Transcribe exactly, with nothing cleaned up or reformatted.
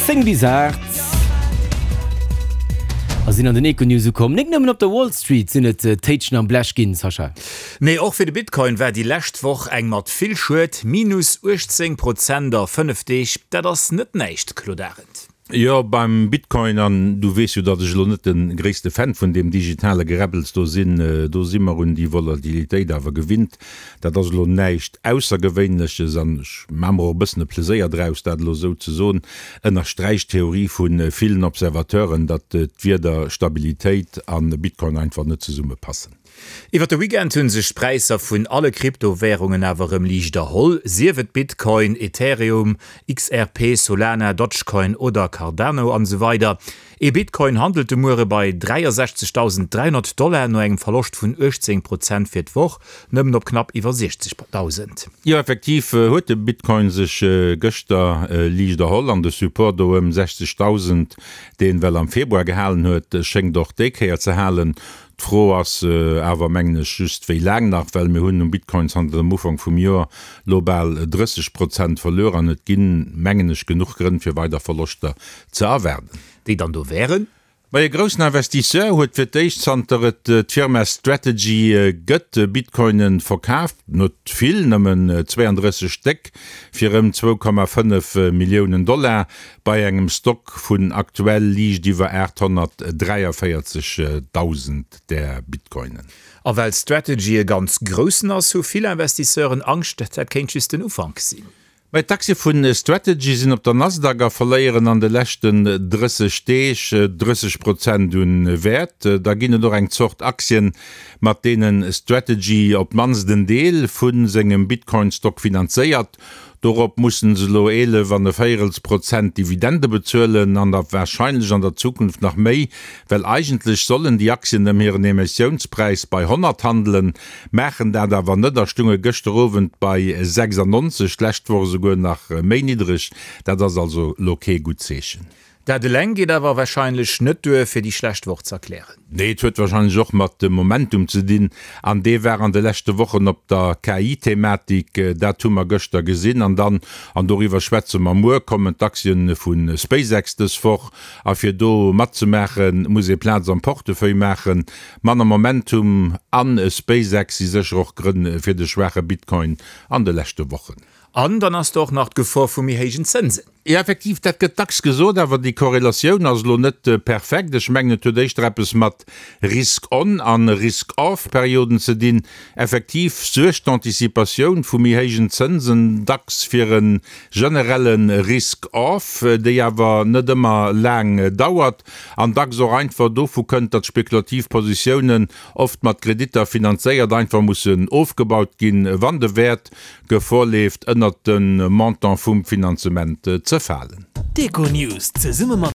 Zéng bis aacht a sinn an den Econews ukomm. Nik nëmmen op der Wall Street sinn et Téitschen am Blech ginn, Sascha. Nee, och fir de Bitcoin war déi lescht Woch eng mat vill Schued, minus uechtzéng Prozent a fënnef Deeg, dat ass net näischt, Claude Arend. Jo, beim Bitcoin, an du weess jo, datt ech elo net de gréisste Fan vun deem digitale Geräbbels do sinn, do si mer un déi Volatilitéit awer gewinnt. Dat ass elo näischt Aussergewéinleches an ech maache mer och e bëssen e Pleséier draus, dat elo esou ze soen, ënnersträicht d'Theorie vu villen Observateuren, datt d'Wierder Stabilitéit a Bitcoin einfach net zesummepassen. Iwwer de Weekend hu sech d'Präisser vun alle Kryptowärungen awer erëm liicht erholl, sief et Bitcoin, Ethereum, X R P, Solana, Dogecoin oder Cardano an esou weider. Ee Bitcoin handelt de Muere bei dräiasechzegdausend dräihonnert Dollar, no engem Verloscht vun uechtzéng Prozent fir d'Woch, nëmmen op knapp iwwer siechzegdausend. Jo, effektiv huet de Bitcoin sech gëschter liicht erholl an de Support do ëm sechzegdausend, deen well am Februar gehalen huet, schéngt och déi Kéier ze halen. D'Fro ass awer, mengen ech, just wéi laang nach, well mir hunn um Bitcoin zanter dem Ufank vum Joer lo bal drësseg Prozent verluer an et ginn, mengen ech, genuch Grënn fir weider Verloschter ze erwaarden. Déi dann do wären? Ma e groussen Investisseur huet fir d'éischt zanter et d'Firma Strategy gëtt Bitcoinen verkaaft, net vill, nëmmen zwéiandrësseg Stéck fir ëm zwou Komma fënnef Milliounen Dollar, bei engem Stock vun aktuell liicht iwwer aathonnertdräiavéierzegdausend där Bitcoinen. A well Strategy e ganz groussen ass, hu vill Investisseuren Angscht, dat kéint just den Ufank sinn. Mä d'Aktie vu Strategy sinn op der Nasdaq a verléieren an de leschten drësseg Deeg drësseg Prozent un Wäert. Da ginn et och eng Zort Aktien, mat deene Strategy op d'mannst en Deel vu sengem Bitcoin-Stock finanzéiert. Dorop mussen se elo eelef an e Véierels Prozent Dividende bezuelen an da warscheinlech an der Zukunft nach méi, well eigentlech sollen déi Aktien ëm hiren Emissiounspräis bei honnert handelen, maachen dat awer net a stunge gëschter Owend bei sechsannonzeg, d'lescht Woch esouguer nach méi niddreg. Dat ass also elo kee gutt Zeechen. Dat eleng geet awer warscheinlech net duer, fir déi schlecht Woch z'erklären. Nee, et huet warscheinlech och mat dem Momentum ze dinn, an dee war an de leschte Wochen op der K I-Thematik, dat hu mer gëschter gesinn. An dann, an doriwwer schwätze mer muer, kommen d'Aktien vu SpaceX dës Woch, a fir do matzemaachen, muss ee Plaz am Portefeuille maachen. Manner Momentum an SpaceX si sécher och Grënn fir de schwaache Bitcoin an de leschte Wochen. An dann ass do och nach d'Gefor vu méi héijen Zënsen. Jo, effektiv, dat gëtt dacks gesot, awer déi Korrelatioun ass elo net perfekt. Ech mengen, et huet éischter eppes mat Risk-on an Risk-off-Perioden ze dinn. Effektiv suergt d'Anticipatioun vu méi héijen Zënsen dacks fir e generelle Risk-off, déi awer net ëmmer laang dauert an dacks och einfach dovu kënnt, datt spekulativ Positiounen, oft mat Kreditter finanzéiert, einfach mussen ofgebaut ginn, wann de Wäert Gefor leeft, ënnert de Montant vum Finanzement ze falen. D'Econews zesumme mat.